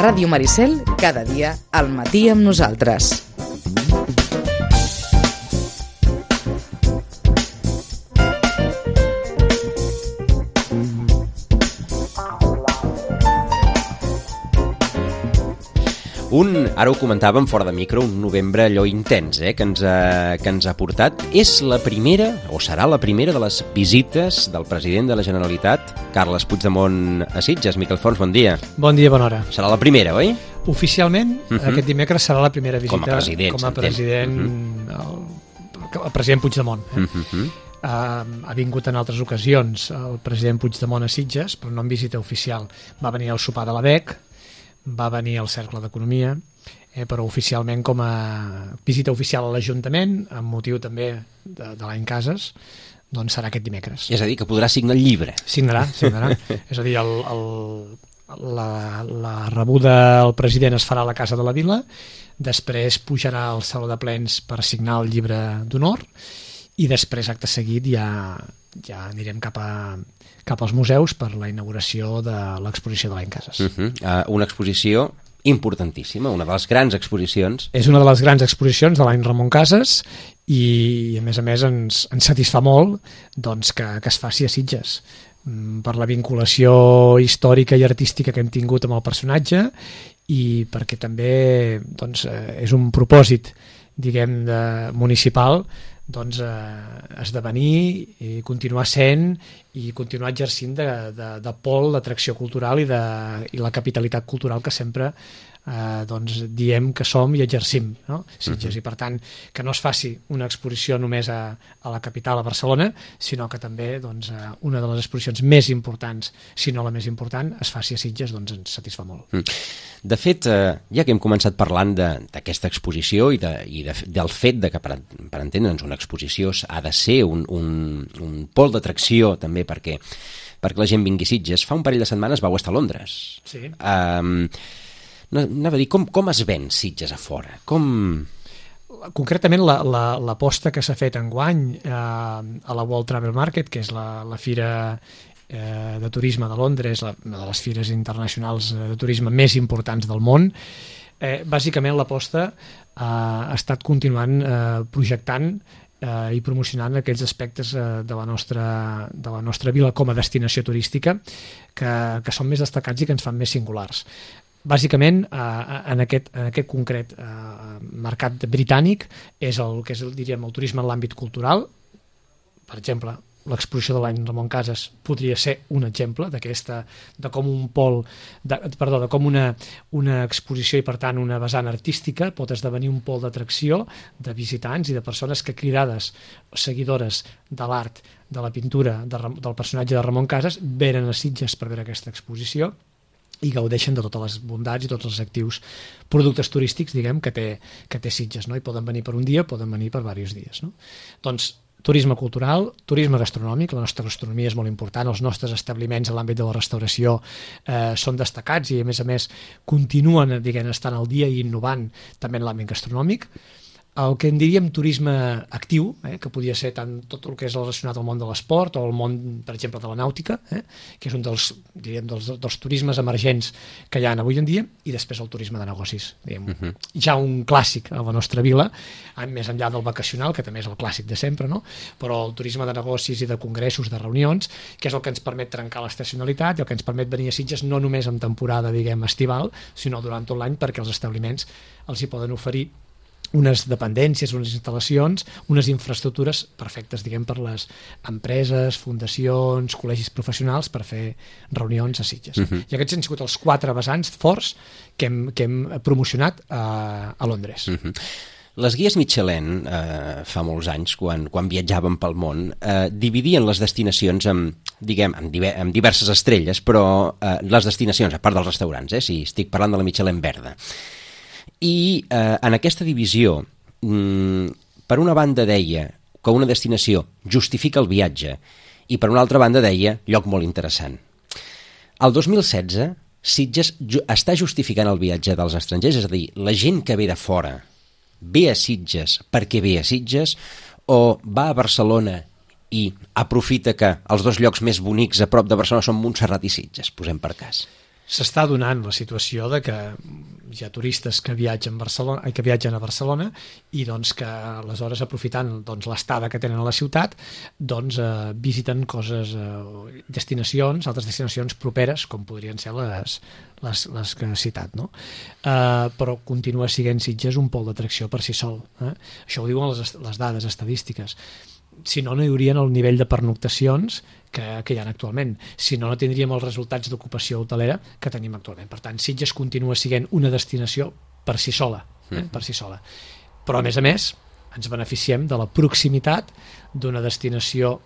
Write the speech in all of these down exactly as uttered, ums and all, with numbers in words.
Ràdio Maricel, cada dia al matí amb nosaltres. Un, ara ho comentàvem fora de micro, un novembre allò intens eh, que, ens ha, que ens ha portat. És la primera, o serà la primera, de les visites del president de la Generalitat, Carles Puigdemont, a Sitges. Miquel Fons, bon dia. Bon dia, bona hora. Serà la primera, oi? Oficialment, uh-huh. aquest dimecres serà la primera visita com a president. Com a president, uh-huh. el, el president Puigdemont. Eh? Uh-huh. Uh, ha vingut en altres ocasions el president Puigdemont a Sitges, però no en visita oficial. Va venir al sopar de la B E C, va venir al Cercle d'Economia, eh, però oficialment com a visita oficial a l'Ajuntament, amb motiu també de, de l'any Cases, doncs serà aquest dimecres. És a dir, que podrà signar el llibre. Signarà, signarà. És a dir, el, el, la, la rebuda al president es farà a la Casa de la Vila, després pujarà al Saló de Plens per signar el llibre d'honor, i després, acte seguit, ja, ja anirem cap a... cap als museus per la inauguració de l'exposició de l'any Cases. Uh-huh. uh, una exposició importantíssima, una de les grans exposicions. És una de les grans exposicions de l'any Ramon Cases i, a més a més, ens, ens satisfà molt doncs, que, que es faci a Sitges per la vinculació històrica i artística que hem tingut amb el personatge i perquè també doncs, és un propòsit, diguem, de, municipal doncs, eh, esdevenir i continuar sent i continuar exercint de, de, de pol d'atracció cultural i, de, i la capitalitat cultural que sempre eh, doncs, diem que som i exercim, no? Sitges. Uh-huh. I per tant, que no es faci una exposició només a, a la capital, a Barcelona, sinó que també doncs, una de les exposicions més importants, si no la més important, es faci a Sitges, doncs ens satisfà molt. Uh-huh. De fet, eh, ja que hem començat parlant d'aquesta exposició i, de, i de, del fet de que, per, per entendre'ns, una exposició ha de ser un, un, un pol d'atracció també perquè, perquè la gent vingui a Sitges, fa un parell de setmanes vau estar a Londres. Sí. Um, anava a dir, com, com es ven Sitges a fora? Com... Concretament, l'aposta la, la, que s'ha fet enguany eh, a la World Travel Market, que és la, la fira de turisme de Londres, una de les fires internacionals de turisme més importants del món, eh, bàsicament l'aposta eh, ha estat continuant eh, projectant eh, i promocionant aquells aspectes eh, de, la nostra, de la nostra vila com a destinació turística que, que són més destacats i que ens fan més singulars. Bàsicament, eh, en, aquest, en aquest concret eh, mercat britànic és el que és, diríem, el turisme en l'àmbit cultural. Per exemple, l'exposició de l'any Ramon Cases podria ser un exemple d'aquesta, de com un pol, de, perdó, de com una, una exposició i per tant una vessant artística pot esdevenir un pol d'atracció de visitants i de persones que, cridades seguidores de l'art, de la pintura de, del personatge de Ramon Cases, venen a Sitges per veure aquesta exposició i gaudeixen de totes les bondats i tots els actius productes turístics, diguem, que té, que té Sitges, no? I poden venir per un dia, poden venir per diversos dies, no? Doncs turisme cultural, turisme gastronòmic, la nostra gastronomia és molt important, els nostres establiments en l'àmbit de la restauració eh, són destacats i a més a més continuen, diguem, estant al dia i innovant també en l'àmbit gastronòmic. El que en diríem turisme actiu, eh, que podia ser tant tot el que és relacionat al món de l'esport o al món, per exemple, de la nàutica, eh, que és un dels, diríem, dels, dels turismes emergents que hi ha avui en dia, i després el turisme de negocis, diguem, uh-huh. ja un clàssic a la nostra vila, més enllà del vacacional, que també és el clàssic de sempre, no? Però el turisme de negocis i de congressos, de reunions, que és el que ens permet trencar l'estacionalitat i el que ens permet venir a Sitges no només en temporada, diguem, estival, sinó durant tot l'any, perquè els establiments els hi poden oferir unes dependències, unes instal·lacions, unes infraestructures perfectes, diguem, per les empreses, fundacions, col·legis professionals per fer reunions a Sitges. Uh-huh. I aquests han sigut els quatre vessants forts que hem, que hem promocionat a, a Londres. Uh-huh. Les guies Michelin, eh, fa molts anys, quan, quan viatjàvem pel món, eh, dividien les destinacions amb, diguem, amb, diver, amb diverses estrelles, però eh, les destinacions, a part dels restaurants, eh, si estic parlant de la Michelin verda. I eh, en aquesta divisió, mm, per una banda deia que una destinació justifica el viatge i per una altra banda deia lloc molt interessant. El dos mil setze, Sitges ju- està justificant el viatge dels estrangers, és a dir, la gent que ve de fora ve a Sitges perquè ve a Sitges o va a Barcelona i aprofita que els dos llocs més bonics a prop de Barcelona són Montserrat i Sitges, posem per cas. s'està donant la situació de que hi ha turistes que viatgen a Barcelona, que viatgen a Barcelona i doncs que aleshores aprofitant doncs, l'estada que tenen a la ciutat doncs eh, visiten coses, eh, destinacions, altres destinacions properes com podrien ser les, les, les que he citat, no? Eh, però continua sent Sitges un pol d'atracció per si sol. Eh? Això ho diuen les, les dades estadístiques. Si no, no hi haurien el nivell de pernoctacions que, que hi ha actualment. Si no, no tindríem els resultats d'ocupació hotelera que tenim actualment. Per tant, Sitges continua sent una destinació per si sola, eh? per si sola. Però, a més a més, ens beneficiem de la proximitat d'una destinació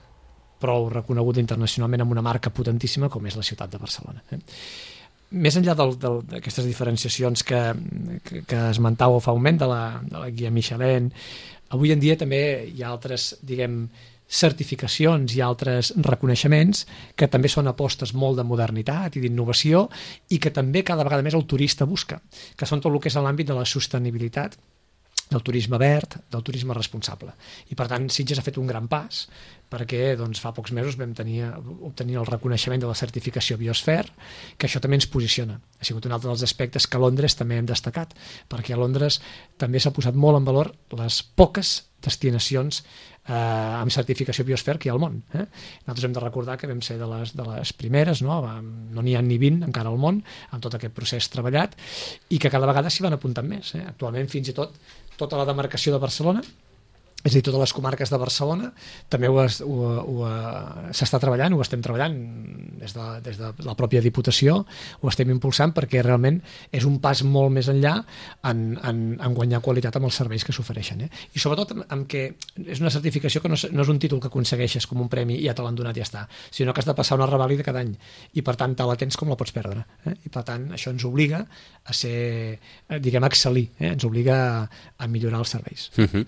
prou reconeguda internacionalment amb una marca potentíssima com és la ciutat de Barcelona. Eh? Més enllà d'aquestes diferenciacions que, que, que esmentàveu fa un moment de la, de la guia Michelin, avui en dia també hi ha altres, diguem, certificacions i altres reconeixements que també són apostes molt de modernitat i d'innovació i que també cada vegada més el turista busca, que són tot el que és l'àmbit de la sostenibilitat, del turisme verd, del turisme responsable. I per tant Sitges ha fet un gran pas perquè doncs, fa pocs mesos vam tenir, obtenir el reconeixement de la certificació Biosphere, que això també ens posiciona. Ha sigut un altre dels aspectes que a Londres també hem destacat, perquè a Londres també s'ha posat molt en valor les poques destinacions eh, amb certificació Biosphere que hi ha al món. Eh? Nosaltres hem de recordar que vam ser de les, de les primeres, no no n'hi ha ni vint encara al món, amb tot aquest procés treballat, i que cada vegada s'hi van apuntant més. Eh? Actualment fins i tot tota la demarcació de Barcelona, és a dir, totes les comarques de Barcelona, també ho, ho, ho, s'està treballant, ho estem treballant des de, des de la pròpia Diputació, ho estem impulsant perquè realment és un pas molt més enllà en, en, en guanyar qualitat amb els serveis que s'ofereixen. Eh? I sobretot amb que és una certificació que no, no és un títol que aconsegueixes com un premi i ja te l'han donat i ja està, sinó que has de passar una revàlida cada any i per tant te la tens com la pots perdre. Eh? I per tant això ens obliga a ser, diguem, a excel·lir, eh? ens obliga a, a millorar els serveis. Uh-huh.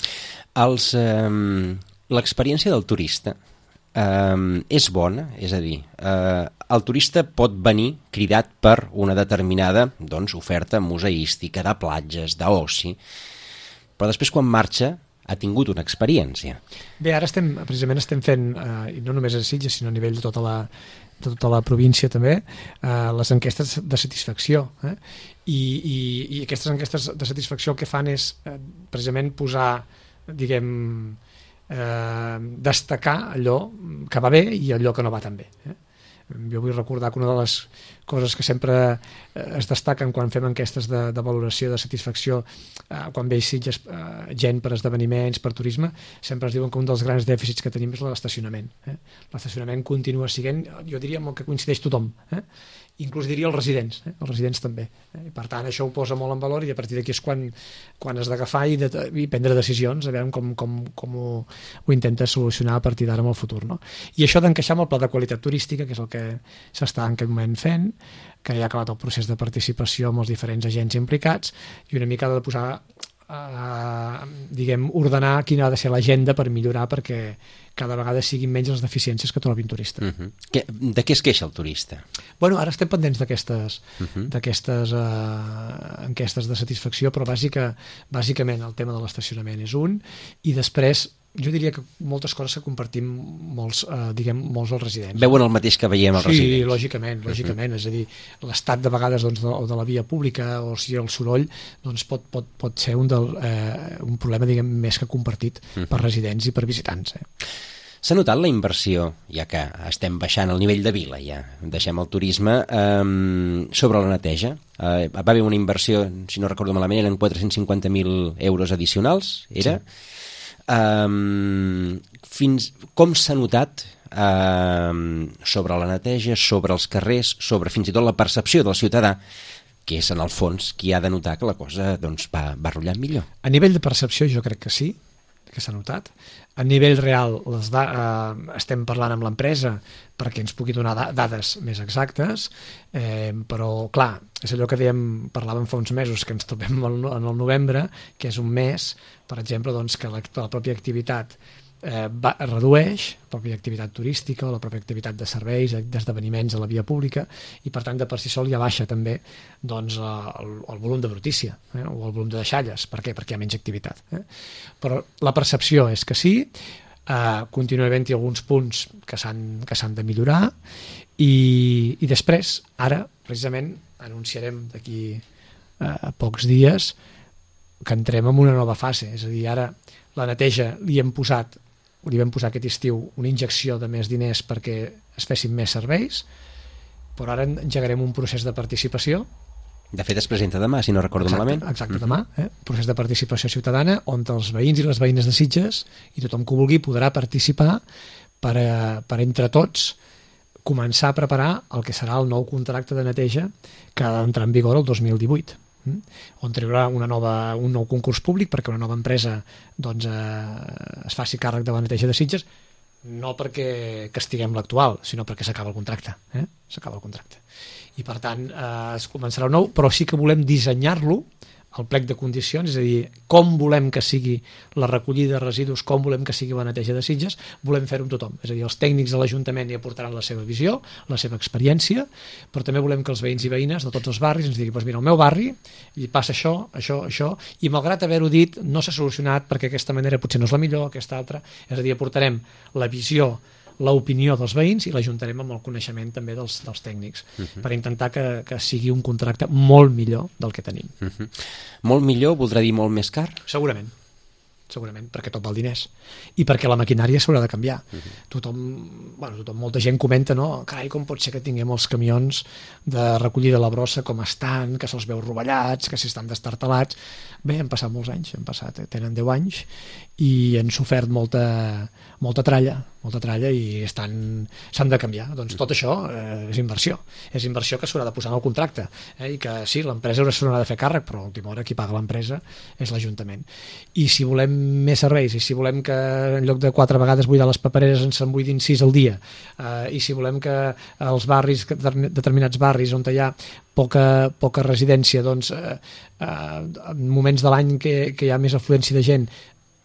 Els Um, l'experiència del turista um, és bona, és a dir, uh, el turista pot venir cridat per una determinada doncs, oferta museística, de platges, d'oci, però després quan marxa ha tingut una experiència. Bé, ara estem, precisament estem fent, eh, no només a Sitges, sinó a nivell de tota la, de tota la província també, eh, les enquestes de satisfacció. Eh? I, i, I aquestes enquestes de satisfacció el que fan és eh, precisament posar, diguem, eh, destacar allò que va bé i allò que no va tan bé. Eh? Jo vull recordar que una de les coses que sempre es destaquen quan fem enquestes de, de valoració de satisfacció, eh, quan ve Sitges eh, gent per esdeveniments, per turisme, sempre es diuen que un dels grans dèficits que tenim és l'estacionament. Eh? L'estacionament continua sent, jo diria, amb el que coincideix tothom, eh? inclús diria els residents, eh? els residents també. Eh? I per tant això ho posa molt en valor i a partir d'aquí és quan, quan has d'agafar i, de, i prendre decisions, a veure com, com, com ho, ho intentes solucionar a partir d'ara en el futur. No? I això d'encaixar amb el pla de qualitat turística, que és el que s'està en aquest moment fent, que ja ha acabat el procés de participació amb els diferents agents implicats i una mica de posar, eh, diguem, ordenar quina ha de ser l'agenda per millorar perquè cada vegada siguin menys les deficiències que trobi un turista. Uh-huh. Que, de què es queixa el turista? Bueno, ara estem pendents d'aquestes uh-huh. d'aquestes uh, enquestes de satisfacció, però bàsica, bàsicament el tema de l'estacionament és un, i després jo diria que moltes coses que compartim molts, eh, diguem, molts els residents. Veuen el mateix que veiem els sí, residents. Sí, lògicament, lògicament. Uh-huh. És a dir, l'estat de vegades doncs, de, o de la via pública o si el soroll doncs, pot, pot, pot ser un, del, eh, un problema diguem, més que compartit uh-huh. per residents i per visitants. Eh? S'ha notat la inversió, ja que estem baixant el nivell de vila, ja deixem el turisme, eh, sobre la neteja? Eh, va haver una inversió, si no recordo malament, eren quatre-cents cinquanta mil euros addicionals, era? Sí. Um, fins, com s'ha notat um, sobre la neteja, sobre els carrers, sobre fins i tot la percepció del ciutadà, que és en el fons qui ha de notar que la cosa doncs, va, va rotllant millor? A nivell de percepció jo crec que sí, que s'ha notat. A nivell real les da- eh, estem parlant amb l'empresa perquè ens pugui donar da- dades més exactes, eh, però clar, és allò que dèiem, parlàvem fa uns mesos que ens trobem en el novembre, que és un mes, per exemple, doncs, que la, la pròpia activitat eh, va, redueix, la pròpia activitat turística o la pròpia activitat de serveis, d'esdeveniments a la via pública, i per tant de per si sol ja baixa també doncs, el, el volum de brutícia eh, o el volum de deixalles. Per què? Perquè hi ha menys activitat. Eh? Però la percepció és que sí, eh, continua havent-hi alguns punts que s'han que s'han de millorar i, i després, ara, precisament anunciarem d'aquí a pocs dies que entrem en una nova fase, és a dir, ara la neteja li hem posat li vam posar aquest estiu una injecció de més diners perquè es fessin més serveis, però ara engegarem un procés de participació. De fet es presenta demà, si no recordo exacte, malament. Exacte, demà, eh? Procés de participació ciutadana on els veïns i les veïnes de Sitges i tothom que ho vulgui podrà participar per, a, per entre tots començar a preparar el que serà el nou contracte de neteja que ha d'entrar en vigor el dos mil divuit, on traurà una nova, un nou concurs públic perquè una nova empresa doncs, eh, es faci càrrec de la neteja de Sitges, no perquè castiguem l'actual, sinó perquè s'acaba el contracte. Eh? S'acaba el contracte. I per tant eh, es començarà un nou, però sí que volem dissenyar-lo el plec de condicions, és a dir, com volem que sigui la recollida de residus, com volem que sigui la neteja de Sitges, volem fer-ho amb tothom. És a dir, els tècnics de l'Ajuntament hi aportaran la seva visió, la seva experiència, però també volem que els veïns i veïnes de tots els barris ens diguin, doncs mira, al meu barri hi passa això, això, això, i malgrat haver-ho dit, no s'ha solucionat perquè aquesta manera potser no és la millor, aquesta altra, és a dir, aportarem la visió, l'opinió dels veïns i l'ajuntarem amb el coneixement també dels, dels tècnics uh -huh. per intentar que, que sigui un contracte molt millor del que tenim. Uh -huh. Molt millor voldrà dir molt més car? Segurament, segurament, perquè tot val diners i perquè la maquinària s'haurà de canviar. Uh -huh. Tothom, bueno, tothom, molta gent comenta, no? Carai, com pot ser que tinguem els camions de recollida de la brossa com estan, que se'ls veu rovellats, que si estan destartalats. Bé, han passat molts anys, han passat, tenen deu anys i han sofert molta, molta tralla, molta tralla i estan s'han de canviar. Doncs tot això eh, és inversió. És inversió que s'haurà de posar en el contracte. Eh? I que sí, l'empresa s'haurà de fer càrrec, però a última hora qui paga l'empresa és l'Ajuntament. I si volem més serveis, i si volem que en lloc de quatre vegades buidar les papereres ens en buidin sis al dia, eh, i si volem que els barris, determinats barris on hi ha poca, poca residència, doncs eh, eh, en moments de l'any que, que hi ha més afluència de gent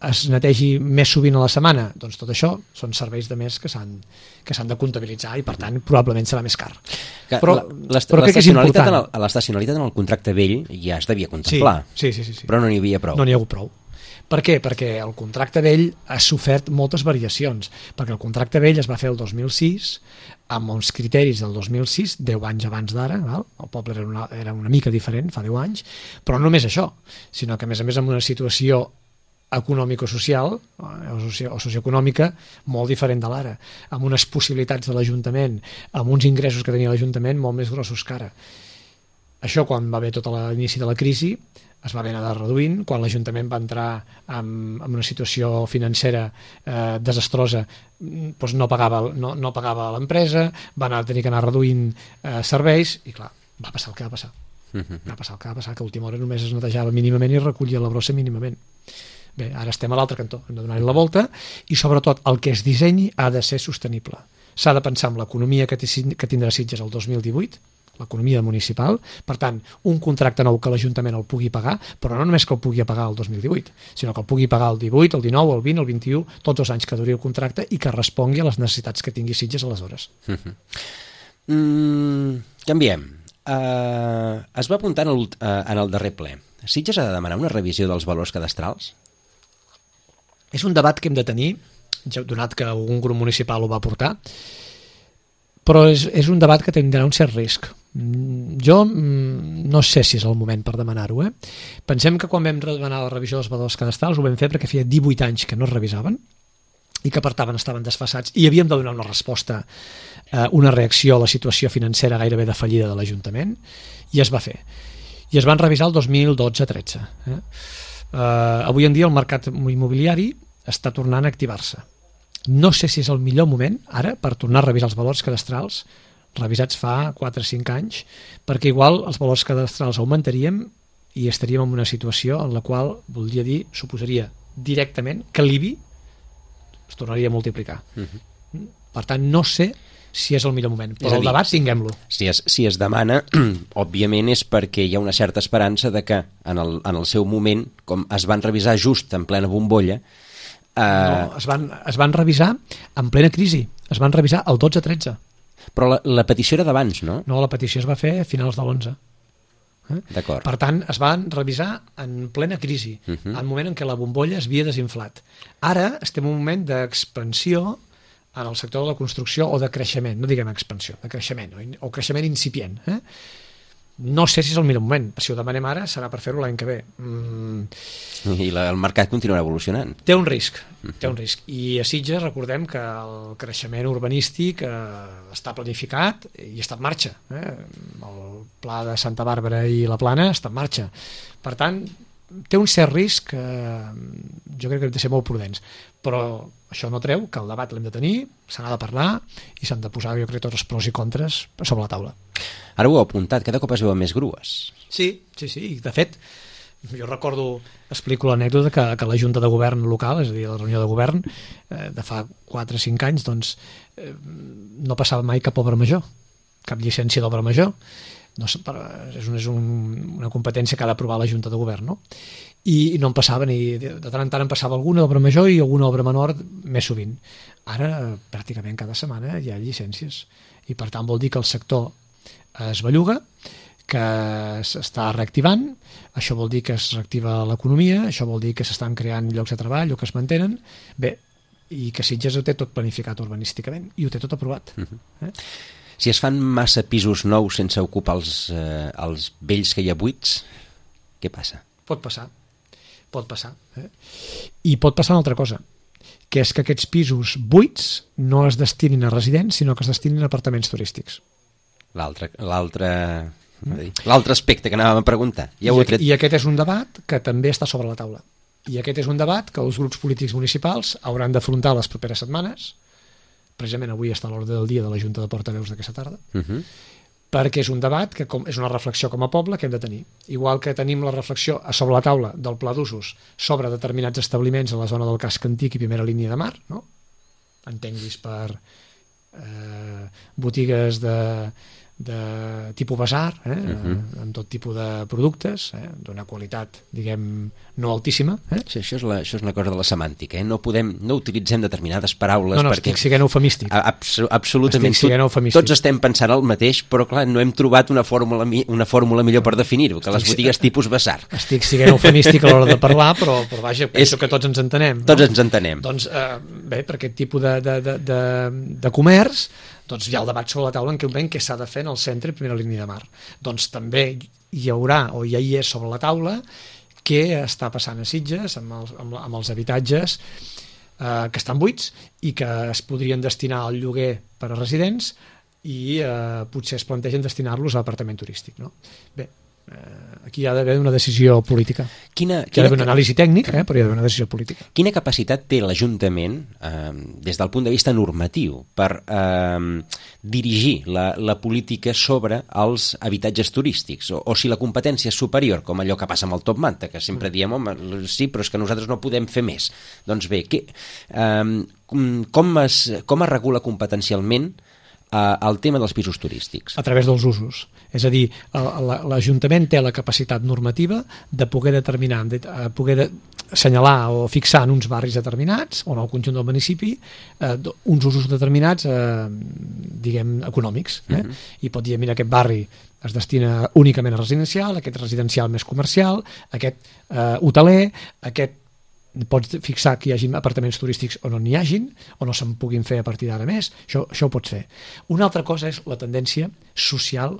es netegi més sovint a la setmana, doncs tot això són serveis de més que s'han que s'han de comptabilitzar i per tant probablement serà més car. Que però la, però crec que és important. L'estacionalitat en el contracte vell ja es devia contemplar, sí, sí, sí, sí. però no n'hi havia prou. No n'hi ha hagut prou. Per què? Perquè el contracte vell ha sofert moltes variacions, perquè el contracte vell es va fer el dos mil sis amb uns criteris del dos mil sis, deu anys abans d'ara, el poble era una, era una mica diferent fa deu anys, però no només això, sinó que a més a més amb una situació econòmico-social o socioeconòmica molt diferent de l'ara, amb unes possibilitats de l'Ajuntament, amb uns ingressos que tenia l'Ajuntament molt més grossos que ara. Això quan va haver tot l'inici de la crisi es va haver anar reduint, quan l'Ajuntament va entrar en, en una situació financera eh, desastrosa, doncs no pagava, no, no pagava l'empresa, va anar, tenir que anar reduint eh, serveis i clar, va passar el que va passar. Va passar el que va passar, que a última hora només es netejava mínimament i recollia la brossa mínimament. Bé, ara estem a l'altre cantó, hem de donar-hi la volta i sobretot el que es dissenyi ha de ser sostenible. S'ha de pensar en l'economia que, que tindrà Sitges el dos mil divuit, l'economia municipal, per tant, un contracte nou que l'Ajuntament el pugui pagar, però no només que el pugui pagar el dos mil divuit, sinó que el pugui pagar el divuit, el dinou, el vint, el vint-i-u, tots els anys que duri el contracte i que respongui a les necessitats que tingui Sitges aleshores. Uh-huh. mm, canviem. Uh, es va apuntar en el, uh, en el darrer ple. Sitges ha de demanar una revisió dels valors cadastrals? És un debat que hem de tenir, ja donat que algun grup municipal ho va portar, però és, és un debat que tindrà un cert risc. Jo no sé si és el moment per demanar-ho. Eh? Pensem que quan vam demanar la revisió dels valors cadastrals ho vam fer perquè feia divuit anys que no es revisaven i que per tant estaven desfasats i havíem de donar una resposta, eh, una reacció a la situació financera gairebé de fallida de l'Ajuntament i es va fer. I es van revisar el dos mil dotze tretze. Eh? Uh, avui en dia el mercat immobiliari està tornant a activar-se. No sé si és el millor moment ara per tornar a revisar els valors cadastrals revisats fa quatre o cinc anys, perquè igual els valors cadastrals augmentaríem i estaríem en una situació en la qual voldria dir, suposaria directament que l'I B I es tornaria a multiplicar. Uh-huh. Per tant, no sé si és el millor moment, però dir, el debat tinguem-lo. Si es, si es demana, òbviament és perquè hi ha una certa esperança de que en el, en el seu moment, com es van revisar just en plena bombolla... Eh... No, es van, es van revisar en plena crisi, es van revisar el dotze tretze. Però la, la petició era d'abans, no? No, la petició es va fer a finals de l'onze. Eh? D'acord. Per tant, es van revisar en plena crisi, uh-huh. en un moment en què la bombolla es havia desinflat. Ara estem en un moment d'expansió en el sector de la construcció o de creixement, no diguem expansió, de creixement o, o creixement incipient. Eh? No sé si és el millor moment. Si ho demanem ara serà per fer-ho l'any que ve. Mm. I la, el mercat continuarà evolucionant. Té un risc, té un risc. I a Sitges recordem que el creixement urbanístic eh, està planificat i està en marxa. Eh? El pla de Santa Bàrbara i la Plana està en marxa. Per tant, té un cert risc que jo crec que hem de ser molt prudents. Però això no treu que el debat l'hem de tenir, se n'ha de parlar i s'han de posar, jo crec, tots els pros i contres sobre la taula. Ara ho heu apuntat, cada cop es veuen més grues. Sí, sí, sí. De fet, jo recordo, explico l'anècdota que, que la Junta de Govern local, és a dir, la reunió de govern, eh, de fa quatre o cinc anys, doncs, eh, no passava mai cap obra major, cap llicència d'obra major. No, és, un, és un, una competència que ha d'aprovar la Junta de Govern, no? I, i no en passava ni... De tant en tant en passava alguna obra major i alguna obra menor més sovint. Ara, pràcticament cada setmana hi ha llicències. I per tant vol dir que el sector es belluga, que s'està reactivant, això vol dir que es reactiva l'economia, això vol dir que s'estan creant llocs de treball o que es mantenen. Bé, i que Sitges ho té tot planificat urbanísticament i ho té tot aprovat. Uh-huh. eh? Si es fan massa pisos nous sense ocupar els, eh, els vells que hi ha buits, què passa? Pot passar, pot passar. Eh? I pot passar una altra cosa, que és que aquests pisos buits no es destinin a residents, sinó que es destinin a apartaments turístics. L'altre l'altre l'altre aspecte que anàvem a preguntar. Ja I, tret... I aquest és un debat que també està sobre la taula. I aquest és un debat que els grups polítics municipals hauran d'afrontar les properes setmanes. Precisament avui està a l'ordre del dia de la Junta de Portaveus d'aquesta tarda. Uh-huh. Perquè és un debat que com, és una reflexió com a poble que hem de tenir. Igual que tenim la reflexió a sobre la taula del pla d'usos sobre determinats establiments a la zona del casc antic i primera línia de mar, no? Entenguis per eh, botigues de, de tipus basar, eh? uh-huh. amb tot tipus de productes, eh? d'una qualitat, diguem, no altíssima. Eh? Sí, això, és la, això és una cosa de la semàntica, eh? no podem, no utilitzem determinades paraules. No, no, perquè... estic siguent eufemístic. Abs absolutament. Estic siguent eufemístic. Tots estem pensant el mateix, però clar, no hem trobat una fórmula, una fórmula millor per definir-ho, que estic, les botigues tipus basar. Estic siguent eufemístic a l'hora de parlar, però, però vaja, penso és... que tots ens entenem. Tots no? ens entenem. Doncs, eh, bé, per aquest tipus de, de, de, de, de comerç, doncs hi ha el debat sobre la taula en què veiem què s'ha de fer en el centre i primera línia de mar. Doncs també hi haurà, o ja hi és sobre la taula, què està passant a Sitges amb els, amb, amb els habitatges eh, que estan buits i que es podrien destinar al lloguer per a residents i eh, potser es plantegen destinar-los a l'apartament turístic. No? Bé, eh, aquí hi ha d'haver una decisió política. Quina, hi ha d'haver un anàlisi tècnic, eh, però hi ha d'haver una decisió política. Quina capacitat té l'Ajuntament, eh, des del punt de vista normatiu, per eh, dirigir la, la política sobre els habitatges turístics? O, o si la competència és superior, com allò que passa amb el Top Manta, que sempre diem, home, sí, però és que nosaltres no podem fer més. Doncs bé, que, eh, com, es, com es regula competencialment el tema dels pisos turístics? A través dels usos. És a dir, l'Ajuntament té la capacitat normativa de poder determinar, de poder de assenyalar o fixar en uns barris determinats o en el conjunt del municipi eh, uns usos determinats eh, diguem, econòmics. Eh? Uh-huh. I pot dir, mira, aquest barri es destina únicament a residencial, aquest residencial més comercial, aquest eh, hoteler, aquest pots fixar que hi hagi apartaments turístics o no n'hi hagin, o no se'n puguin fer a partir d'ara més, això, això ho pots fer. Una altra cosa és la tendència social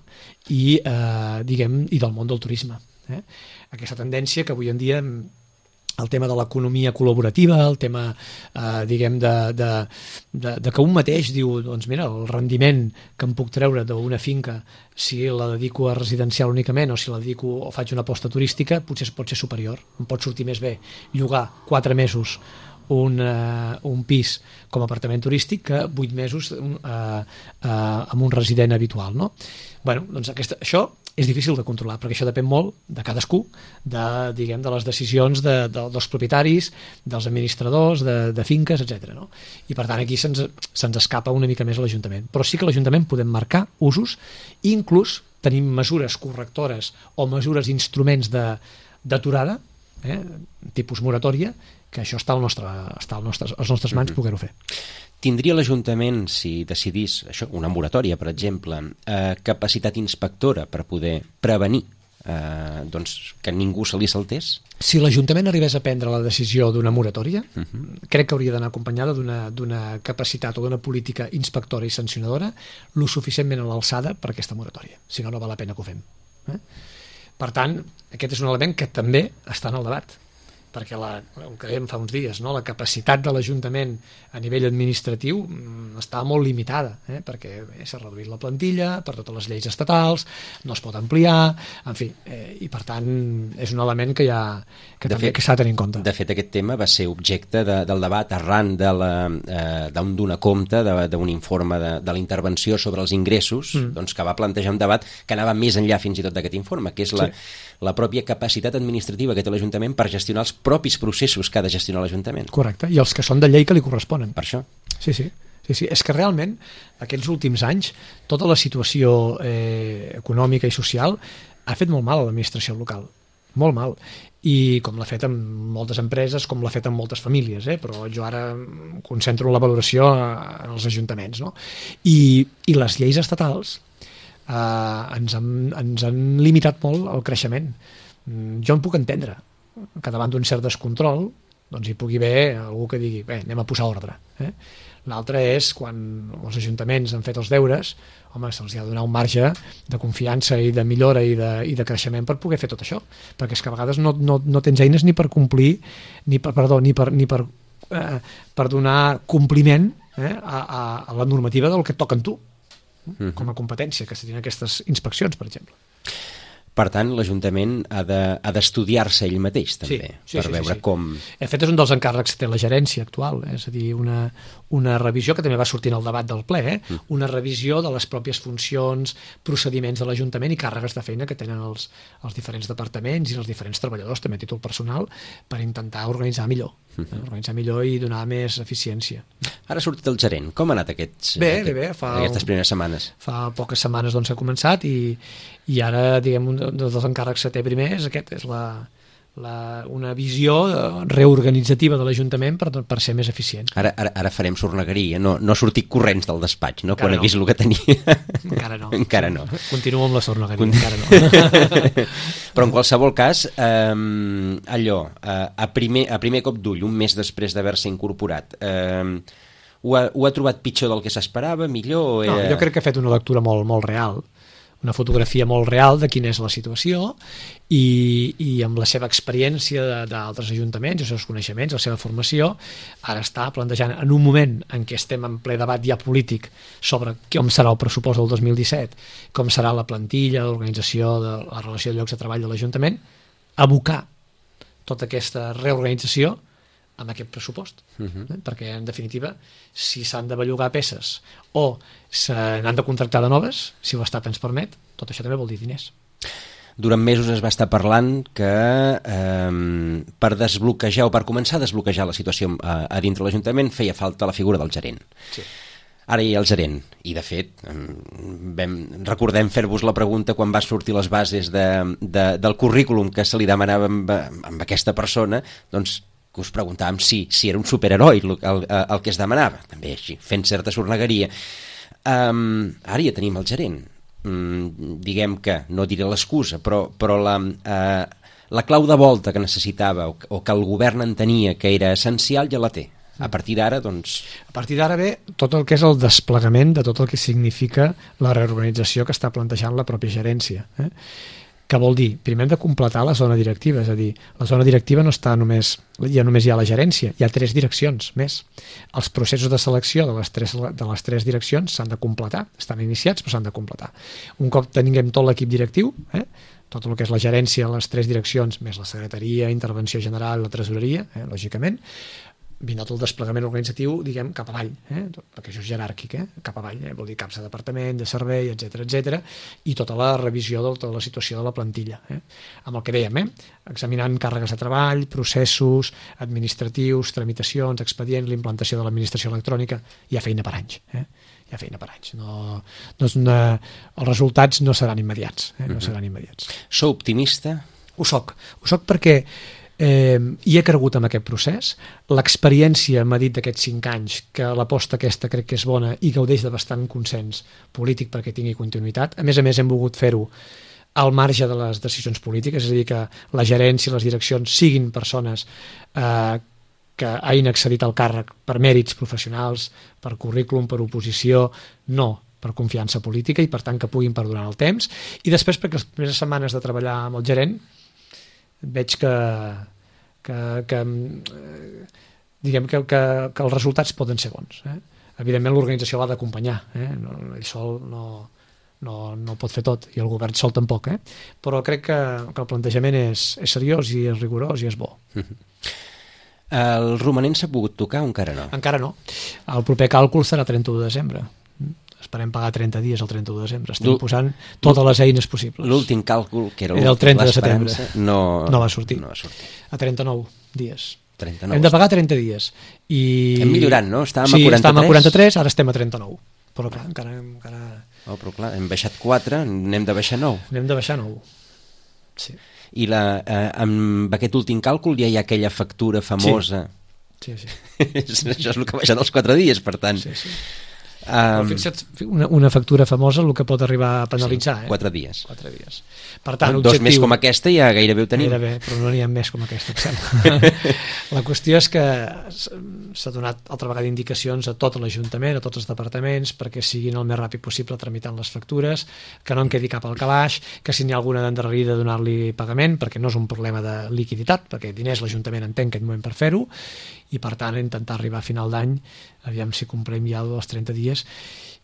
i, eh, diguem, i del món del turisme. Eh? Aquesta tendència que avui en dia el tema de l'economia col·laborativa, el tema, eh, diguem, de, de, de, de que un mateix diu, doncs mira, el rendiment que em puc treure d'una finca si la dedico a residencial únicament o si la dedico o faig una aposta turística, potser pot ser superior. Em pot sortir més bé llogar quatre mesos un, uh, un pis com a apartament turístic que vuit mesos uh, uh, amb un resident habitual, no? Bueno, doncs aquesta, això és difícil de controlar, perquè això depèn molt de cadascú, de, diguem, de les decisions de, de, dels propietaris, dels administradors, de, de finques, etcètera. No? I per tant aquí se'ns se escapa una mica més a l'Ajuntament. Però sí que l'Ajuntament podem marcar usos, i inclús tenim mesures correctores o mesures, instruments d'aturada, eh, tipus moratòria, que això està, al nostre, està al nostre, als nostres mans mm-hmm. poder-ho fer. Tindria l'Ajuntament, si decidís això, una moratòria, per exemple, eh, capacitat inspectora per poder prevenir eh, doncs, que ningú se li saltés? Si l'Ajuntament arribés a prendre la decisió d'una moratòria, uh-huh. crec que hauria d'anar acompanyada d'una d'una capacitat o d'una política inspectora i sancionadora lo suficientment a l'alçada per aquesta moratòria. Si no, no val la pena que ho fem. Eh? Per tant, aquest és un element que també està en el debat, perquè la, el que dèiem fa uns dies, no? La capacitat de l'Ajuntament a nivell administratiu està molt limitada, eh? perquè eh, s'ha reduït la plantilla per totes les lleis estatals, no es pot ampliar, en fi, eh, i per tant és un element que, ha, que de també fet, s'ha de tenir en compte. De fet, aquest tema va ser objecte de, del debat arran de la, eh, d'un donar compte d'un informe de, de la intervenció sobre els ingressos, mm. doncs, que va plantejar un debat que anava més enllà fins i tot d'aquest informe, que és la, sí. la pròpia capacitat administrativa que té l'Ajuntament per gestionar els propis processos que ha de gestionar l'Ajuntament. Correcte, i els que són de llei que li corresponen. Per això. Sí, sí. Sí, sí. És que realment, aquests últims anys, tota la situació eh, econòmica i social ha fet molt mal a l'administració local. Molt mal. I com l'ha fet amb moltes empreses, com l'ha fet amb moltes famílies, eh? Però jo ara concentro la valoració en els ajuntaments, no? I, i les lleis estatals eh, ens, han, ens han limitat molt el creixement. Jo en puc entendre que davant d'un cert descontrol doncs hi pugui haver algú que digui bé, anem a posar ordre. Eh? L'altre és quan els ajuntaments han fet els deures, home, se'ls ha de donar un marge de confiança i de millora i de, i de creixement per poder fer tot això, perquè és que a vegades no, no, no tens eines ni per complir, ni per, perdó, ni per, ni per, eh, per donar compliment eh, a, a, a la normativa del que et toca en tu, mm-hmm. com a competència, que se tenen aquestes inspeccions, per exemple. Per tant, l'Ajuntament ha d'estudiar-se ell mateix, també, sí, sí, per sí, veure sí, sí. com... De fet, és un dels encàrrecs que té la gerència actual, eh? És a dir, una, una revisió que també va sortir en el debat del ple, eh? Mm. Una revisió de les pròpies funcions, procediments de l'Ajuntament i càrregues de feina que tenen els, els diferents departaments i els diferents treballadors, també a títol personal, per intentar organitzar millor, mm-hmm. eh? organitzar millor i donar més eficiència. Ara ha sortit el gerent. Com ha anat aquests, bé, aquest, bé, bé, fa aquestes primeres setmanes? Fa poques setmanes doncs, ha començat i, i ara, diguem, un dels encàrrecs que té primer és aquest, és la, la, una visió reorganitzativa de l'Ajuntament per, per ser més eficient. Ara, ara, ara farem sornegueria, no, no sortir corrents del despatx, no? Encara Quan no. he vist el que tenia. Encara no. Encara no. Continuo amb la sornegueria, Cont... encara no. Però en qualsevol cas, eh, allò, eh, a, primer, a primer cop d'ull, un mes després d'haver-se incorporat, eh, ho, ha, ho ha trobat pitjor del que s'esperava, millor? O era... No, jo crec que ha fet una lectura molt, molt real, una fotografia molt real de quina és la situació i, i amb la seva experiència d'altres ajuntaments, els seus coneixements, la seva formació, ara està plantejant en un moment en què estem en ple debat ja polític sobre com serà el pressupost del dos mil disset, com serà la plantilla, l'organització de la relació de llocs de treball de l'Ajuntament, abocar tota aquesta reorganització amb aquest pressupost, uh-huh. eh? Perquè en definitiva si s'han de bellugar peces o se n'han de contractar de noves, si l'Estat ens permet, tot això també vol dir diners. Durant mesos es va estar parlant que eh, per desbloquejar o per començar a desbloquejar la situació a, a dintre l'Ajuntament feia falta la figura del gerent. Sí. Ara hi ha el gerent, i de fet vam, recordem fer-vos la pregunta quan va sortir les bases de, de, del currículum que se li demanava amb, amb aquesta persona, doncs que us preguntàvem si, si era un superheroi el, el, el que es demanava, també així, fent certa sornegueria. Um, ara ja tenim el gerent. Um, diguem que, no diré l'excusa, però, però la, uh, la clau de volta que necessitava o, o que el govern entenia que era essencial ja la té. A partir d'ara, doncs... A partir d'ara ve tot el que és el desplegament de tot el que significa la reorganització que està plantejant la pròpia gerència. Eh? Que vol dir, primer hem de completar la zona directiva, és a dir, la zona directiva no està només, ja només hi ha la gerència, hi ha tres direccions més. Els processos de selecció de les tres, de les tres direccions s'han de completar, estan iniciats però s'han de completar. Un cop tinguem tot l'equip directiu, eh, tot el que és la gerència, les tres direccions, més la secretaria, intervenció general, la tresoreria, eh, lògicament, vindrà tot el desplegament organitzatiu, diguem, cap avall, eh? Perquè això és jeràrquic, eh? Cap avall, eh? Vol dir caps de departament, de servei, etcètera, etcètera, i tota la revisió de tota la situació de la plantilla. Eh? Amb el que dèiem, eh? Examinant càrregues de treball, processos administratius, tramitacions, expedients, l'implantació de l'administració electrònica, hi ha feina per anys, eh? Hi ha feina per anys. No, no és una... Els resultats no seran immediats, eh? No seran immediats. Sou optimista? Ho soc. Ho soc perquè Eh, hi he cregut en aquest procés, l'experiència m'ha dit d'aquests cinc anys que l'aposta aquesta crec que és bona i gaudeix de bastant consens polític perquè tingui continuïtat. A més a més hem volgut fer-ho al marge de les decisions polítiques, és a dir, que la gerència i les direccions siguin persones eh, que hagin accedit al càrrec per mèrits professionals, per currículum, per oposició, no per confiança política, i per tant que puguin perdonar el temps. I després, perquè les primeres setmanes de treballar amb el gerent veig que que, que diguem que, que, que els resultats poden ser bons. Eh? Evidentment l'organització l'ha d'acompanyar, eh? no, ell sol no, no, no pot fer tot, i el govern sol tampoc, eh? Però crec que, que el plantejament és, és seriós i és rigorós i és bo. Mm-hmm. El romanent s'ha pogut tocar o encara no? Encara no. El proper càlcul serà trenta-u de desembre. Esperem pagar trenta dies el trenta-u de desembre. Estem posant totes les eines possibles. L'últim càlcul, que era, era el trenta de setembre, no, no va sortir. No va sortir. A trenta-nou dies. trenta-nou. Hem de pagar trenta dies. I... Hem millorat, no? Estàvem sí, a quaranta-tres. estàvem a quaranta-tres, ara estem a trenta-nou. Però clar, encara... encara... Oh, però clar, hem baixat quatre, n'hem de baixar nou. N'hem de baixar nou. Sí. I la, eh, amb aquest últim càlcul ja hi ha aquella factura famosa... Sí. Sí, sí. Això és el que ha baixat els quatre dies, per tant. Sí, sí. Um, fixa't, una, una factura famosa el que pot arribar a penalitzar. Sí, eh? quatre dies. Quatre dies. Per tant, Dos objectiu... més com aquesta ja gairebé ho tenim. Gairebé, però no n'hi ha més com aquesta, em sembla. La qüestió és que s'ha donat altra vegada indicacions a tot l'Ajuntament, a tots els departaments, perquè siguin el més ràpid possible tramitant les factures, que no en quedi cap al calaix, que si n'hi ha alguna d'endarrerida donar-li pagament, perquè no és un problema de liquiditat, perquè diners l'Ajuntament en té en aquest moment per fer-ho, i per tant intentar arribar a final d'any, aviam si complem ja els trenta dies,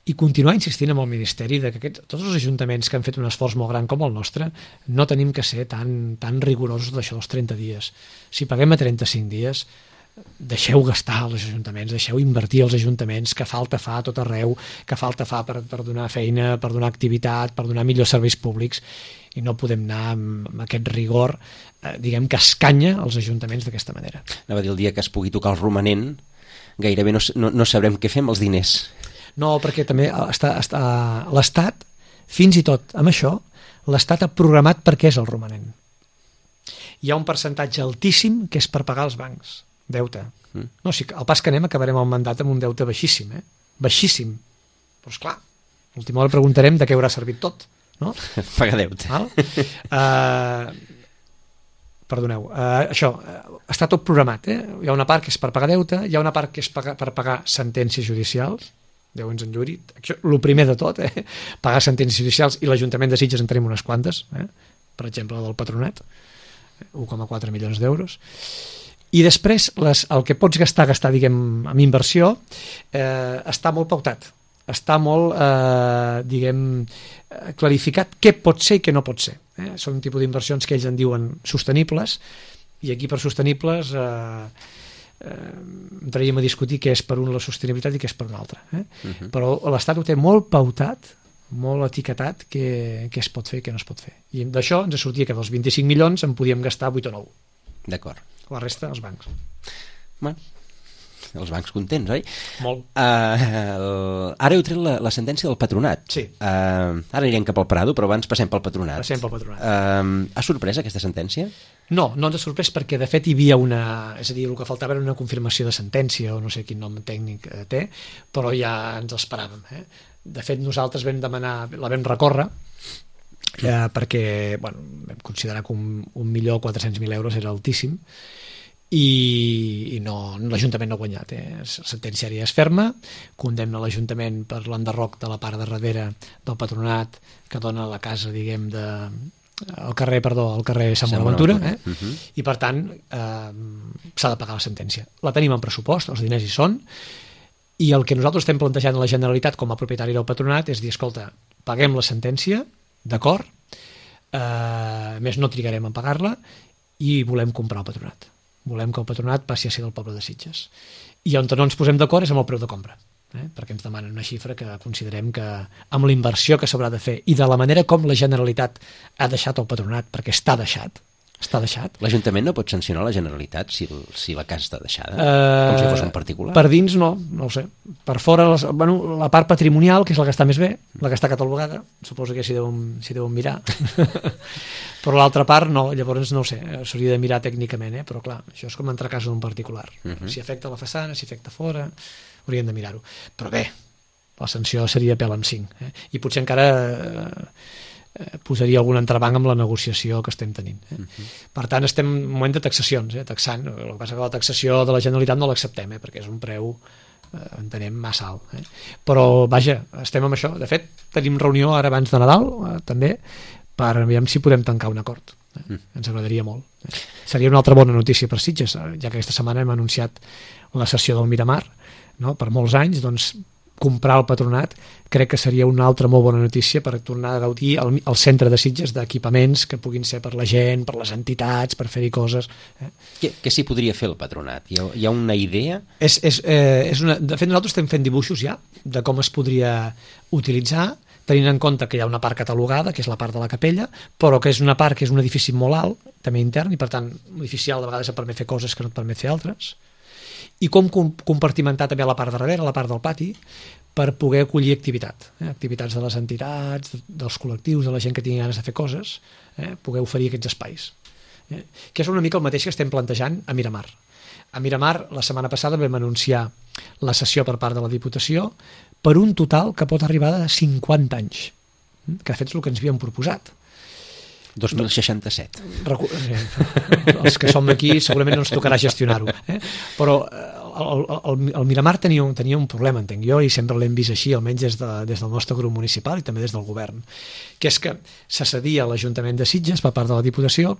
i continuar insistint amb el Ministeri de que aquests, tots els ajuntaments que han fet un esforç molt gran com el nostre no tenim que ser tan, tan rigorosos d'això dels trenta dies. Si paguem a trenta-cinc dies, deixeu gastar els ajuntaments, deixeu invertir els ajuntaments, que falta fa a tot arreu, que falta fa per, per donar feina, per donar activitat, per donar millors serveis públics, i no podem anar amb, amb aquest rigor, eh, diguem que escanya els ajuntaments d'aquesta manera. Anava a dir, el dia que es pugui tocar el romanent, gairebé no, no, no sabrem què fer amb els diners. No, perquè també està, està, l'Estat, fins i tot amb això, l'Estat ha programat per què és el romanent. Hi ha un percentatge altíssim que és per pagar els bancs, deute. Mm. No, si al pas que anem acabarem el mandat amb un deute baixíssim, eh? Baixíssim. Però esclar, a l'última hora preguntarem de què haurà servit tot, no? Pagar deute. Val? Uh, perdoneu, uh, això, uh, està tot programat, eh? Hi ha una part que és per pagar deute, hi ha una part que és pagar, per pagar sentències judicials, Déu ens enlluri, el primer de tot, eh? Pagar sentències judicials, i l'Ajuntament de Sitges en tenim unes quantes, eh? Per exemple, la del Patronat, un coma quatre milions d'euros. I després les, el que pots gastar, gastar diguem, amb inversió, eh, està molt pautat, està molt, eh, diguem, clarificat què pot ser i què no pot ser. Eh? Són un tipus d'inversions que ells en diuen sostenibles, i aquí per sostenibles... Eh, Eh, entraríem a discutir què és per un la sostenibilitat i què és per un altre, eh? Uh-huh. Però l'Estat ho té molt pautat, molt etiquetat, què, què es pot fer i què no es pot fer, i d'això ens sortia que dels vint-i-cinc milions en podíem gastar vuit o nou. D'acord. La resta els bancs. Bueno, els bancs contents, oi? Molt. Uh, el... Ara heu tret la, la sentència del Patronat. Sí. Uh, ara anirem cap al Prado, però abans passem pel Patronat. Passem pel Patronat. Uh, ha sorprès aquesta sentència? No, no ens ha sorprès perquè de fet hi havia una... És a dir, el que faltava era una confirmació de sentència, o no sé quin nom tècnic té, però ja ens esperàvem. Eh? De fet, nosaltres vam demanar, la vam recórrer, eh, perquè bueno, vam considerar que un, un milió quatre-cents mil euros era altíssim, i, i no, l'Ajuntament no ha guanyat. Eh? La sentència és ferma, condemna l'Ajuntament per l'enderroc de la part de darrere del Patronat que dona la casa, diguem, de... al carrer, perdó, al carrer Sant Bonaventura, eh? Uh-huh. I per tant eh, s'ha de pagar la sentència. La tenim en pressupost, els diners hi són, i el que nosaltres estem plantejant a la Generalitat com a propietari del Patronat és dir, escolta, paguem la sentència, d'acord, eh, més no trigarem a pagar-la, i volem comprar el Patronat. Volem que el Patronat passi a ser del poble de Sitges. I on no ens posem d'acord és amb el preu de compra. Eh? Perquè ens demanen una xifra que considerem que amb la inversió que s'haurà de fer i de la manera com la Generalitat ha deixat el Patronat, perquè està deixat, està deixat. L'Ajuntament no pot sancionar la Generalitat si, si la casa està deixada? Uh, com si fos un particular? Per dins no, no ho sé. Per fora, les, bueno, la part patrimonial, que és la que està més bé, la que està catalogada, suposo que s'hi deuen, s'hi deuen mirar. Però l'altra part no, llavors no ho sé, s'hauria de mirar tècnicament, eh? Però clar, això és com entrar a casa d'un particular. Uh-huh. Si afecta la façana, si afecta fora, hauríem de mirar-ho. Però bé, la sanció seria pèl amb cinc. Eh? I potser encara... Eh, eh, posaria algun entrebanc amb la negociació que estem tenint. Eh? Uh-huh. Per tant, estem en un moment de taxacions, eh? taxant. El que passa que la taxació de la Generalitat no l'acceptem, eh? perquè és un preu, eh, entenem, massa alt. Eh? Però, vaja, estem amb això. De fet, tenim reunió ara abans de Nadal, eh, també, per veure si podem tancar un acord. Eh? Uh-huh. Ens agradaria molt. Eh? Seria una altra bona notícia per Sitges, ja que aquesta setmana hem anunciat la cessió del Miramar, no? Per molts anys, doncs, comprar el Patronat crec que seria una altra molt bona notícia per tornar a gaudir el, el centre de Sitges d'equipaments que puguin ser per la gent, per les entitats, per fer-hi coses. Eh? Què, què s'hi podria fer el Patronat? Hi ha, hi ha una idea? És, és, eh, és una, de fet, nosaltres estem fent dibuixos ja de com es podria utilitzar, tenint en compte que hi ha una part catalogada, que és la part de la capella, però que és una part que és un edifici molt alt, també intern, i per tant, un edifici alt de vegades et permet fer coses que no et permet fer altres, i com compartimentar també la part de darrere, la part del pati, per poder acollir activitat, eh? activitats de les entitats, dels col·lectius, de la gent que tingui ganes de fer coses, eh? poder oferir aquests espais. Eh? Que és una mica el mateix que estem plantejant a Miramar. A Miramar, la setmana passada vam anunciar la cessió per part de la Diputació per un total que pot arribar a cinquanta anys, que de fet és el que ens havíem proposat. dos mil seixanta-set. Recu Els que som aquí segurament no ens tocarà gestionar-ho. Eh? Però el, el, el Miramar tenia un, tenia un problema, entenc jo, i sempre l'hem vist així, almenys des, de, des del nostre grup municipal i també des del govern, que és que se cedia a l'Ajuntament de Sitges per part de la Diputació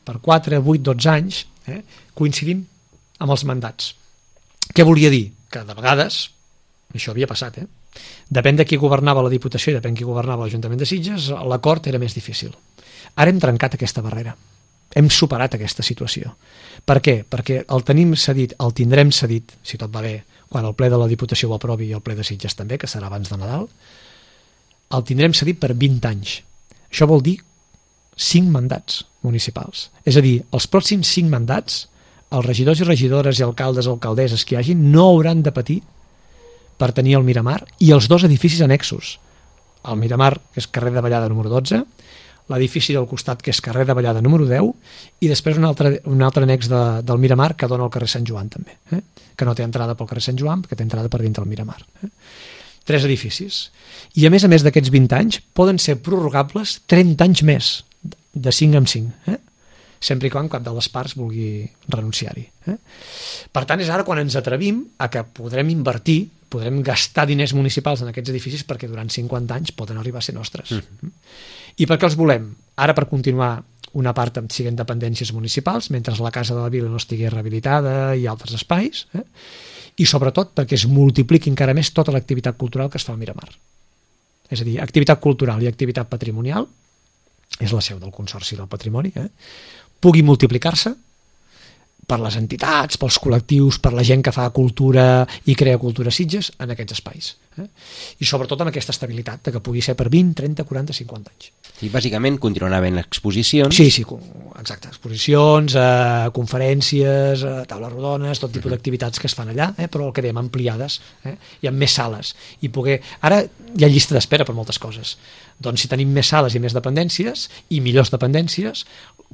per quatre, vuit, dotze anys, eh, coincidint amb els mandats. Què volia dir? Que de vegades, això havia passat, eh? Depèn de qui governava la Diputació i depèn de qui governava l'Ajuntament de Sitges, l'acord era més difícil. Ara hem trencat aquesta barrera. Hem superat aquesta situació. Per què? Perquè el tenim cedit, el tindrem cedit, si tot va bé, quan el ple de la Diputació ho aprovi i el ple de Sitges també, que serà abans de Nadal, el tindrem cedit per vint anys. Això vol dir cinc mandats municipals. És a dir, els pròxims cinc mandats, els regidors i regidores i alcaldes o alcaldesses que hi hagin no hauran de patir per tenir el Miramar i els dos edificis annexos. El Miramar, que és carrer de Vallada número dotze, l'edifici del costat, que és carrer de Vallada número deu, i després un altre, un altre annex de, del Miramar que dona al carrer Sant Joan també, eh? que no té entrada pel carrer Sant Joan, que té entrada per dintre del Miramar. Eh? Tres edificis. I a més a més d'aquests vint anys poden ser prorrogables trenta anys més, de cinc en cinc, eh? sempre i quan cap de les parts vulgui renunciar-hi. Eh? Per tant, és ara quan ens atrevim a que podrem invertir, podrem gastar diners municipals en aquests edificis perquè durant cinquanta anys poden arribar a ser nostres. Mm. I per què els volem? Ara per continuar una part amb siguent dependències municipals, mentre la Casa de la Vila no estigui rehabilitada i altres espais, eh? i sobretot perquè es multipliqui encara més tota l'activitat cultural que es fa al Miramar. És a dir, activitat cultural i activitat patrimonial, és la seu del Consorci del Patrimoni, eh? pugui multiplicar-se per les entitats, pels col·lectius, per la gent que fa cultura i crea cultura a Sitges en aquests espais. Eh? I sobretot amb aquesta estabilitat, de que pugui ser per vint, trenta, quaranta, cinquanta anys. I bàsicament continuarà havent exposicions. Sí, sí, exacte. Exposicions, eh, conferències, eh, taules rodones, tot tipus d'activitats que es fan allà, eh, però el que dèiem, ampliades, eh, i amb més sales. I poder... Ara hi ha llista d'espera per moltes coses. Doncs si tenim més sales i més dependències, i millors dependències,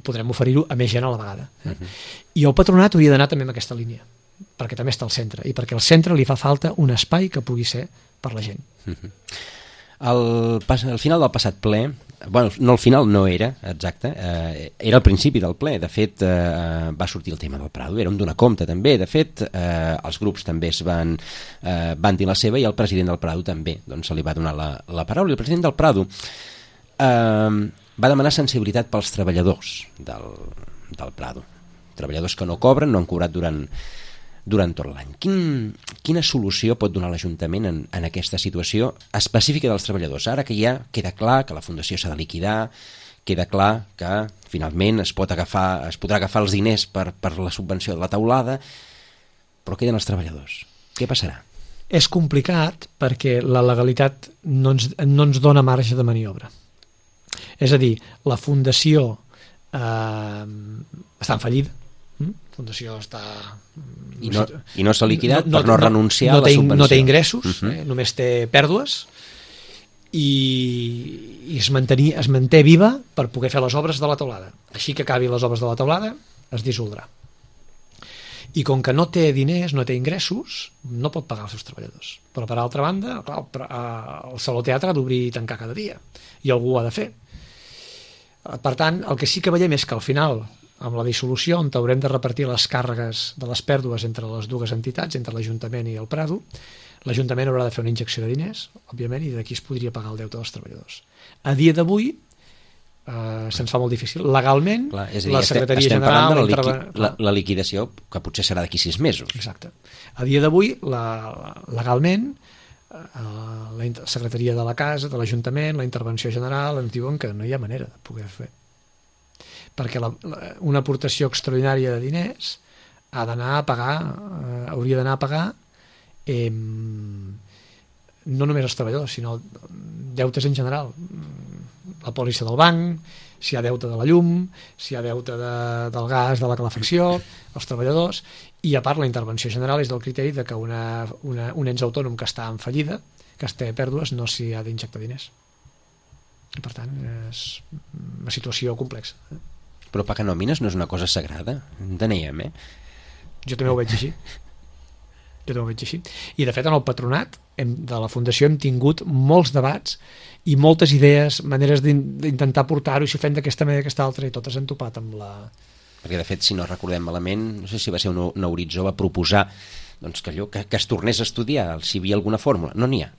podrem oferir-ho a més gent a la vegada. Eh? Uh-huh. I el Patronat hauria d'anar també en aquesta línia, perquè també està al centre, i perquè al centre li fa falta un espai que pugui ser per la gent. Uh-huh. el, al final del passat ple, bueno, no al final no era, exacte, eh, era al principi del ple, de fet eh, va sortir el tema del Prado, era un donar compte també, de fet eh, els grups també es van, eh, van dir la seva i el president del Prado també, doncs se li va donar la, la paraula, i el president del Prado eh, va demanar sensibilitat pels treballadors del, del Prado, treballadors que no cobren, no han cobrat durant, durant tot l'any. Quin, quina solució pot donar l'Ajuntament en, en aquesta situació específica dels treballadors? Ara que ja queda clar que la Fundació s'ha de liquidar, queda clar que finalment es, pot agafar, es podrà agafar els diners per, per la subvenció de la teulada, però queden els treballadors. Què passarà? És complicat perquè la legalitat no ens, no ens dona marge de maniobra. És a dir, la Fundació eh, està en fallida, la Fundació està... I no, i no s'ha liquidat no, no, per no renunciar no, no a la té, subvenció. No té ingressos, uh-huh. eh, només té pèrdues, i, i es, mantenir, es manté viva per poder fer les obres de la teulada. Així que acabi les obres de la teulada, es dissoldrà. I com que no té diners, no té ingressos, no pot pagar els seus treballadors. Però per altra banda, clar, el Saló Teatre ha d'obrir i tancar cada dia, i algú ho ha de fer. Per tant, el que sí que veiem és que al final, amb la dissolució, on haurem de repartir les càrregues de les pèrdues entre les dues entitats, entre l'Ajuntament i el Prado, l'Ajuntament haurà de fer una injecció de diners, òbviament, i d'aquí es podria pagar el deute dels treballadors. A dia d'avui, Uh, se'ns fa molt difícil. Legalment, clar, és a dir, la Secretaria estem General... parlant de la, interve... liqui... la, la liquidació, que potser serà d'aquí sis mesos. Exacte. A dia d'avui, la, legalment, uh, la Secretaria de la Casa, de l'Ajuntament, la Intervenció General, ens diuen que no hi ha manera de poder fer. Perquè la, la, una aportació extraordinària de diners ha d'anar a pagar, uh, hauria d'anar a pagar eh, no només els treballadors, sinó deutes en general. La pòlissa del banc, si hi ha deute de la llum, si hi ha deute de, del gas, de la calefacció, els treballadors, i a part la intervenció general és del criteri de que una, una, un ens autònom que està en fallida, que es té pèrdues, no s'hi ha d'injectar diners. I per tant, és una situació complexa. Però pagar nòmines no és una cosa sagrada, enteníem, eh? Jo també ho veig així. Jo també ho veig així. I de fet en el patronat hem, de la Fundació hem tingut molts debats i moltes idees, maneres d'intentar portar-ho, i si ho fem d'aquesta manera, d'aquesta altra, i totes han topat amb la... Perquè de fet, si no recordem malament, no sé si va ser un, un horitzó, va proposar doncs, que, allò, que, que es tornés a estudiar, si hi havia alguna fórmula. No n'hi ha.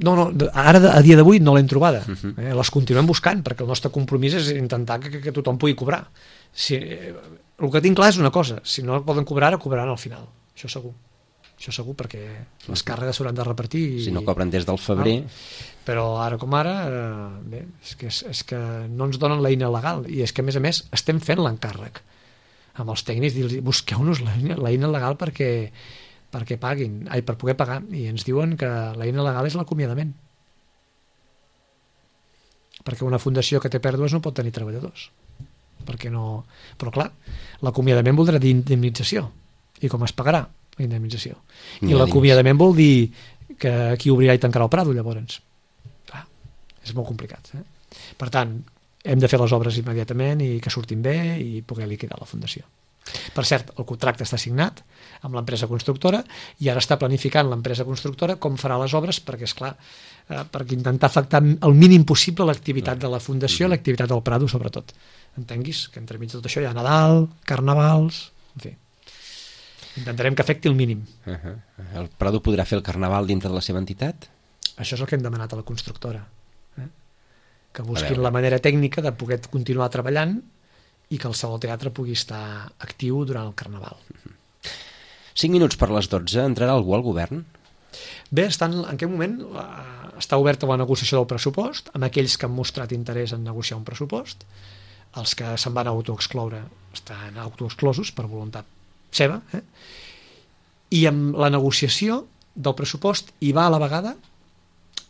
No, no, ara a dia d'avui no l'hem trobada. Uh -huh. eh, les continuem buscant, perquè el nostre compromís és intentar que, que, que tothom pugui cobrar. Si, eh, el que tinc clar és una cosa, si no poden cobrar, ara cobraran al final, això segur. Això segur, perquè les càrregues s'hauran de repartir. I... Si no cobren des del febrer... Ah, però ara com ara, eh, bé, és que, és, és que no ens donen l'eina legal, i és que a més a més estem fent l'encàrrec amb els tècnics, dir-los, busqueu-nos l'eina legal perquè, perquè paguin, ai, per poder pagar, i ens diuen que l'eina legal és l'acomiadament. Perquè una fundació que té pèrdues no pot tenir treballadors. Perquè no... Però clar, l'acomiadament voldrà dir indemnització. I com es pagarà la indemnització? I l'acomiadament vol dir que qui obrirà i tancarà el Prado, llavors. Clar, és molt complicat. Eh? Per tant, hem de fer les obres immediatament i que surtin bé i poder liquidar la fundació. Per cert, el contracte està signat amb l'empresa constructora i ara està planificant l'empresa constructora com farà les obres perquè, és clar, eh, perquè intentar afectar el mínim possible l'activitat de la fundació i l'activitat del Prado, sobretot. Entenguis que entremig de tot això hi ha Nadal, Carnavals, en fi. Intentarem que afecti el mínim. Uh -huh. El Prado podrà fer el Carnaval dintre de la seva entitat? Això és el que hem demanat a la constructora. Eh? Que busquin la manera tècnica de poder continuar treballant i que el Saló Teatre pugui estar actiu durant el Carnaval. Uh -huh. Cinc minuts per les dotze. Entrarà algú al govern? Bé, estan, en aquest moment uh, està oberta la negociació del pressupost amb aquells que han mostrat interès en negociar un pressupost. Els que se'n van autoexcloure estan autoexclosos per voluntat seva, eh? I amb la negociació del pressupost hi va a la vegada,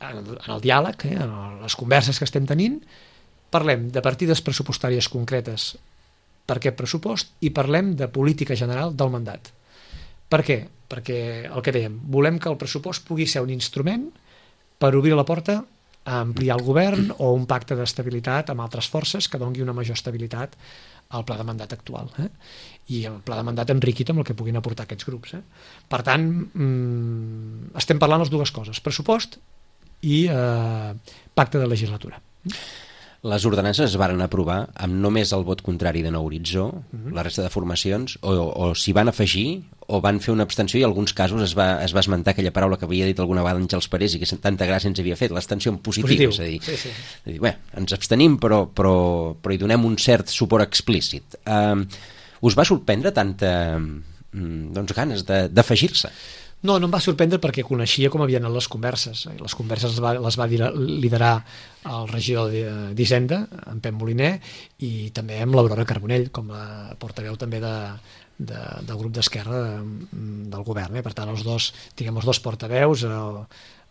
en el diàleg, eh? En les converses que estem tenint, parlem de partides pressupostàries concretes per aquest pressupost i parlem de política general del mandat. Per què? Perquè, el que dèiem, volem que el pressupost pugui ser un instrument per obrir la porta a ampliar el govern o un pacte d'estabilitat amb altres forces que doni una major estabilitat al pla de mandat actual, eh? I el pla de mandat enriquit amb el que puguin aportar aquests grups, eh? Per tant, mmm, estem parlant les dues coses, pressupost i eh, pacte de legislatura. Les ordenances es varen aprovar amb només el vot contrari de Nou Horitzó, uh-huh. La resta de formacions, o, o s'hi van afegir o van fer una abstenció, i en alguns casos es va, es va esmentar aquella paraula que havia dit alguna vegada Àngels Parés i que tanta gràcia ens havia fet, l'abstenció en positiu, positiu. És a dir, sí, sí. és a dir bé, ens abstenim però, però, però hi donem un cert suport explícit. Uh, us va sorprendre tanta doncs, ganes d'afegir-se? No, no em va sorprendre perquè coneixia com havien anat les converses. Les converses les va, les va liderar el regidor d'Hisenda, en Pep Moliner, i també amb l'Aurora Carbonell, com a portaveu també de, de, del grup d'Esquerra de, del govern. Eh? Per tant, els dos, diguem, els dos portaveus, el,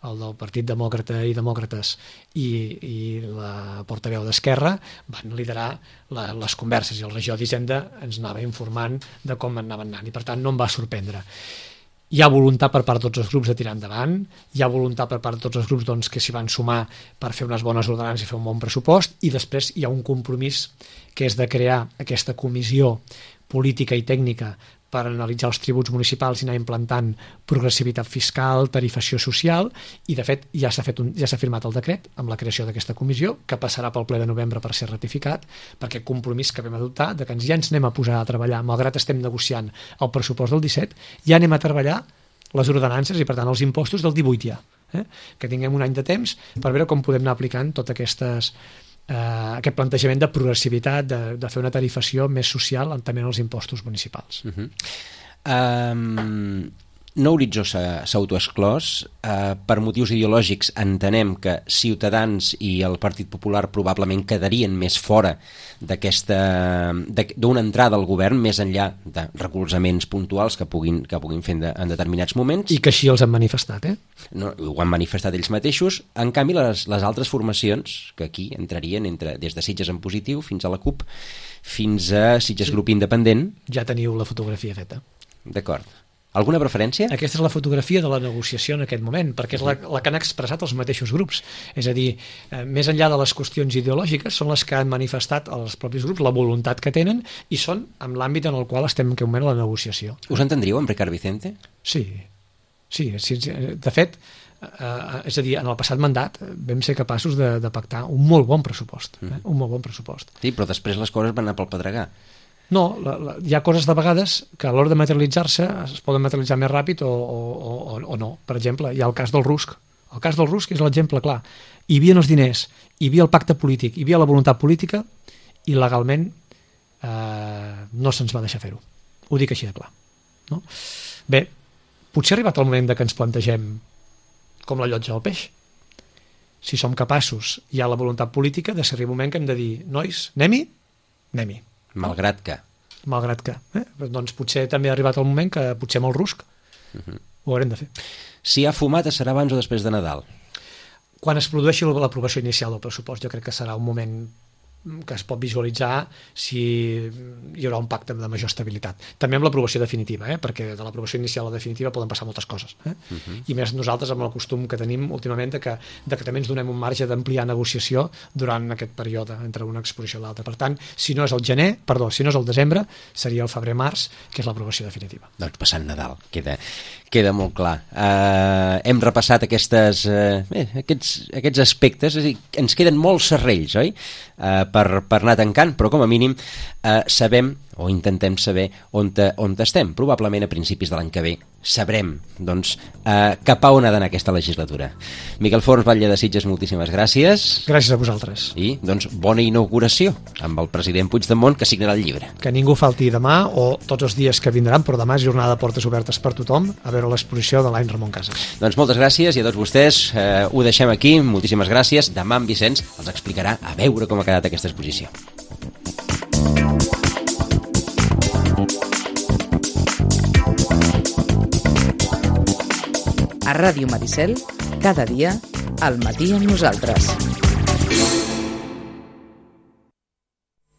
el del Partit Demòcrata i Demòcrates i, i la portaveu d'Esquerra, van liderar la, les converses, i el regidor d'Hisenda ens anava informant de com anaven anant, i per tant no em va sorprendre. Hi ha voluntat per part de tots els grups de tirar endavant, hi ha voluntat per part de tots els grups doncs, que s'hi van sumar per fer unes bones ordenances i fer un bon pressupost, i després hi ha un compromís que és de crear aquesta comissió política i tècnica per analitzar els tributs municipals i anar implantant progressivitat fiscal, tarifació social, i de fet ja s'ha fet un, ja s'ha firmat el decret amb la creació d'aquesta comissió, que passarà pel ple de novembre per ser ratificat, perquè compromís que vam adoptar de que ens ja ens anem a posar a treballar, malgrat estem negociant el pressupost del disset, ja anem a treballar les ordenances i per tant els impostos del divuit ja, eh? Que tinguem un any de temps per veure com podem anar aplicant totes aquestes Uh, aquest plantejament de progressivitat, de, de fer una tarifació més social també en els impostos municipals. Uh -huh. um, No Horitzó s'ha autoexclòs. Uh, per motius ideològics entenem que Ciutadans i el Partit Popular probablement quedarien més fora d'aquesta d'una entrada al govern, més enllà de recolzaments puntuals que puguin, que puguin fer en, de, en determinats moments. I que així els han manifestat, eh? No, ho han manifestat ells mateixos. En canvi, les, les altres formacions, que aquí entrarien entre, des de Sitges en positiu fins a la CUP, fins a Sitges sí. Grup Independent. Ja teniu la fotografia feta. D'acord. Alguna preferència? Aquesta és la fotografia de la negociació en aquest moment, perquè és la, la que han expressat els mateixos grups. És a dir, eh, més enllà de les qüestions ideològiques, són les que han manifestat els propis grups la voluntat que tenen i són en l'àmbit en el qual estem en aquest moment a la negociació. Us entendríeu amb Ricard Vicente? Sí, sí, sí. De fet, eh, és a dir, en el passat mandat vam ser capaços de, de pactar un molt bon pressupost. Eh? Un molt bon pressupost. Sí, però després les coses van anar pel pedregar. No, la, la, hi ha coses de vegades que a l'hora de materialitzar-se es poden materialitzar més ràpid o, o, o, o no. Per exemple, hi ha el cas del Rusc. El cas del Rusc és l'exemple clar. Hi havia els diners, hi havia el pacte polític, hi havia la voluntat política i legalment eh, no se'ns va deixar fer-ho. Ho dic així de clar. No? Bé, potser ha arribat el moment de que ens plantegem com la llotja del peix. Si som capaços, hi ha la voluntat política de ser un moment que hem de dir, nois, anem-hi? Anem-hi. Malgrat que. Malgrat que. Eh? Doncs potser també ha arribat el moment que potser amb el Rusc uh -huh. ho haurem de fer. Si hi ha fumata serà abans o després de Nadal? Quan es produeixi l'aprovació inicial del pressupost, jo crec que serà un moment que es pot visualitzar si hi haurà un pacte de major estabilitat. També amb l'aprovació definitiva, eh? Perquè de l'aprovació inicial a la definitiva poden passar moltes coses. Eh? Uh -huh. I més nosaltres amb el costum que tenim últimament de que, de que també ens donem un marge d'ampliar negociació durant aquest període entre una exposició i l'altra. Per tant, si no és el gener, perdó, si no és el desembre, seria el febrer-març, que és l'aprovació definitiva. Doncs passant Nadal, queda, queda molt clar. Uh, hem repassat aquestes, uh, bé, aquests, aquests aspectes, és a dir, ens queden molts serrells, oi? Uh, per, per anar tancant, però com a mínim eh, sabem, o intentem saber on, te, on estem. Probablement a principis de l'any que ve sabrem doncs, eh, cap a on ha d'anar aquesta legislatura. Miquel Forns, Batlle de Sitges, moltíssimes gràcies. Gràcies a vosaltres. I doncs bona inauguració amb el president Puigdemont, que signarà el llibre. Que ningú falti demà o tots els dies que vindran, però demà és jornada de portes obertes per tothom a veure l'exposició de l'any Ramon Casas. Doncs moltes gràcies i a tots vostès eh, ho deixem aquí. Moltíssimes gràcies. Demà en Vicenç els explicarà a veure com ha quedat aquesta exposició. A Ràdio Maricel, cada dia, al matí amb nosaltres.